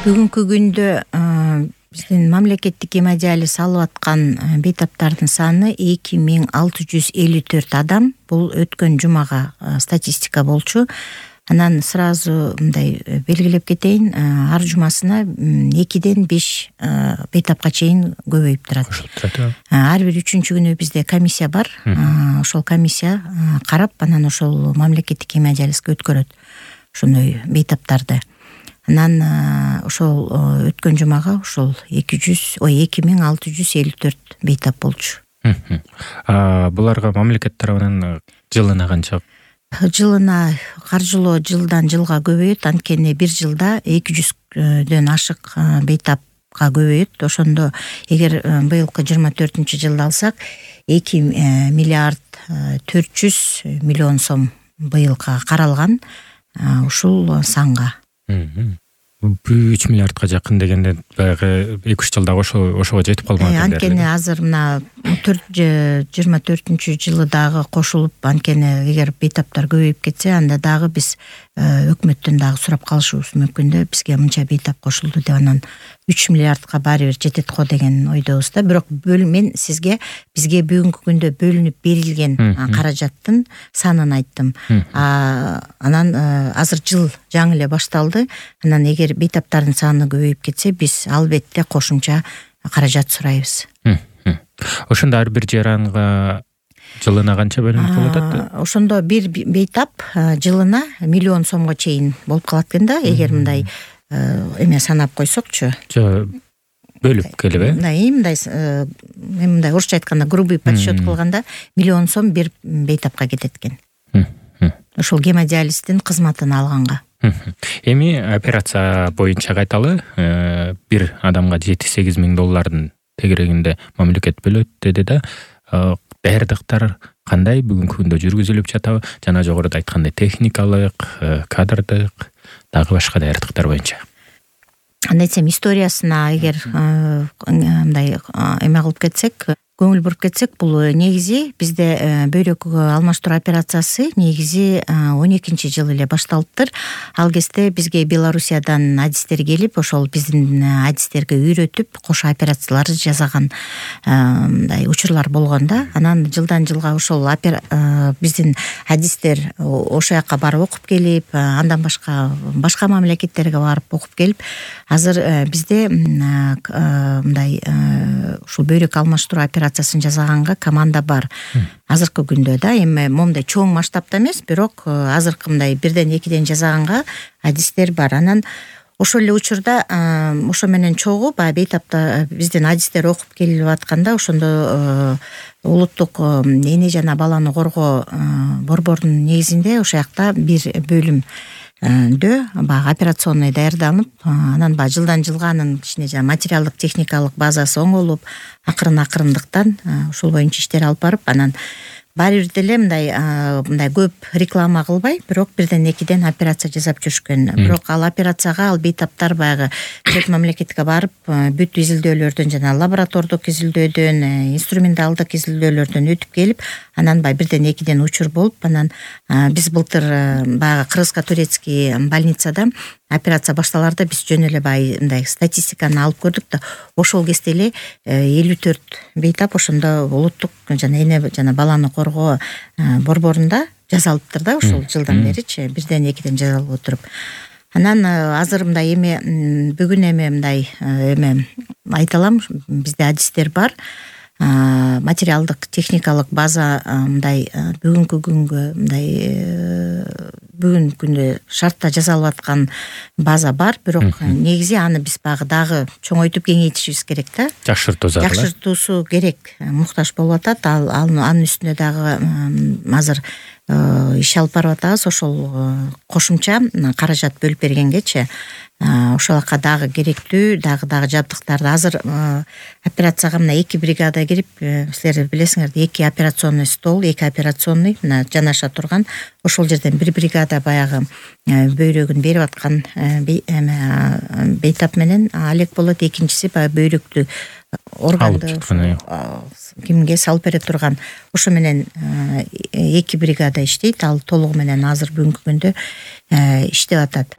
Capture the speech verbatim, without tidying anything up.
Бүгүнкү күндө биздин мамлекеттик гемодиализ алып аткан бейтаптардын саны эки миң алты жүз элүү төрт адам. Бул өткөн жумага статистика болчу. Анан сразу мындай белгилеп кетейин, ар жумасына экиден беш бейтапка чейин көбөйүп турат. Ар бир үчүнчү күнү бизде комиссия бар. Ошол комиссия карап, анан ошол мамлекеттик гемодиализге өткөрөт ошондой бейтаптарды. Анан ошол өткөн жумага ошол эки жүз, ой эки миң алты жүз элүү төрт бейтап болчу. Буларга мамлекет тарабынан жылына канча? Жылына каржылоо жылдан жылга көбөйөт. Анткени бир жылда эки жүздөн ашык бейтапка көбөйөт. Ошондо эгер быйылкы жыйырма төртүнчү жылды алсак, эки миллиард төрт жүз миллион сом быйылка каралган ушул санга. үч миллиардка жакын дегенде баягы эки үч жылда ошо ошого жетип калган экен. Анткени азыр мына жыйырма төртүнчү жылы дагы кошулуп, анткени эгер бейтаптар көбөйүп кетсе, анда дагы биз өкмөттөн дагы сурап калышыбыз мүмкүн да, бизге мынча бейтап кошулду деп, анан үч миллиардка баары бир жетет го деген ойдобуз да. Бирок мен сизге бизге бүгүнкү күндө бөлүнүп берилген каражаттын санын айттым. Анан азыр жыл жаңы эле башталды. Анан эгер бейтаптардын саны көбөйүп кетсе, биз албетте кошумча каражат сурайбыз. Ошондо ар бир жаранга жылына канча бөлүнүп болот атты? Ошондо бир бейтап жылына миллион сомго чейин болуп калат экен да, эгер мындай эме санап койсокчу. Жо, бөлүп келип, э? Мындай, мындай, мындай орусча айтканда грубый подсчет кылганда миллион сом бир бейтапка кетет экен. Ошол гемодиализдин кызматын алганга. Эми операция боюнча кайталы бир адамга жети-сегиз миң доллардын тегерегинде мамлекет бөлөт деди да. Даярдыктар кандай бүгүнкү күндө жүргүзүлүп жатабы? Жана жогоруда айткандай техникалык, кадрдык, дагы башка даярдыктар боюнча. Андай десем, историясына эгер мындай эме кылып кетсек, көңүл буруп кетсек, бул негизи бизде бөйрөк алмаштыруу операциясы негизи он экинчи жылы эле башталыптыр. Ал кезде бизге Белоруссиядан адистер келип, ошол биздин адистерге үйрөтүп, кошо операцияларды жасаган мындай учурлар болгон да. Анан жылдан жылга ошол биздин адистер ошол жака барып окуп келип, андан башка башка мамлекеттерге барып окуп келип, азыр бизде мындай ушул бөйрөк алмаштыруу операциясын жасаганга команда бар. Азыркы күндө да, эми момундай чоң масштабта эмес, бирок азыркы мындай бирден экиден жасаганга адистер бар. Анан ошол эле учурда ошо менен чогуу баягы бейтапта биздин адистер окуп келип атканда, ошондо улуттук эне жана баланы коргоо борборунун негизинде ошол жакта бир бөлүм дө баягы операционный даярданып, анан баягы жылдан жылга анын кичине жана материалдык техникалык базасы оңолуп, акырын акырындыктан ушул боюнча иштер алып барып, анан баары бир деле мындай мындай көп реклама кылбай, бирок бирден экиден операция жасап жүрүшкөн. Бирок ал операцияга ал бейтаптар баягы чет мамлекетке барып, бүт изилдөөлөрдөн жана лаборатордук изилдөөдөн, инструменталдык изилдөөлөрдөн өтүп келип, анан баягы бирден экиден учур болуп, анан биз былтыр баягы Кыргызско-турецкий больницада операция башталарда биз жөн эле баягы мындай статистиканы алып көрдүк да, ошол кезде эле элүү төрт бейтап ошондо улуттук жана эне жана баланы коргоо борборунда жасалыптыр да, ошол жылдан беричи, бирден экиден жасалып отуруп. Анан азыр мындай эме бүгүн эме мындай эме айта алам, бизде адистер бар. Материалдык техникалык база мындай бүгүнкү күнгө мындай бүгүнкү күндө шартта жасалып аткан база бар, бирок негизи аны биз багы дагы чоңойтуп кеңейтишибиз керек да. Жакшыртуу зарыл. Жакшыртуусу керек, муктаж болуп атат. Ал анын үстүнө дагы азыр иш алып барып атабыз, ошол кошумча каражат бөлүп бергенгечи ошол жака дагы керектүү, дагы дагы жабдыктарды азыр операцияга мына эки бригада кирип, силер билесиңер, эки операционный стол, эки операционный мына жанаша турган, ошол жерден бир бригада баягы бөйрөгүн берип аткан бейтап менен алек болот, экинчиси баягы бөйрөктү органды кимге салып бере турган, ошо менен эки бригада иштейт. Ал толугу менен азыр бүгүнкү күндө иштеп атат.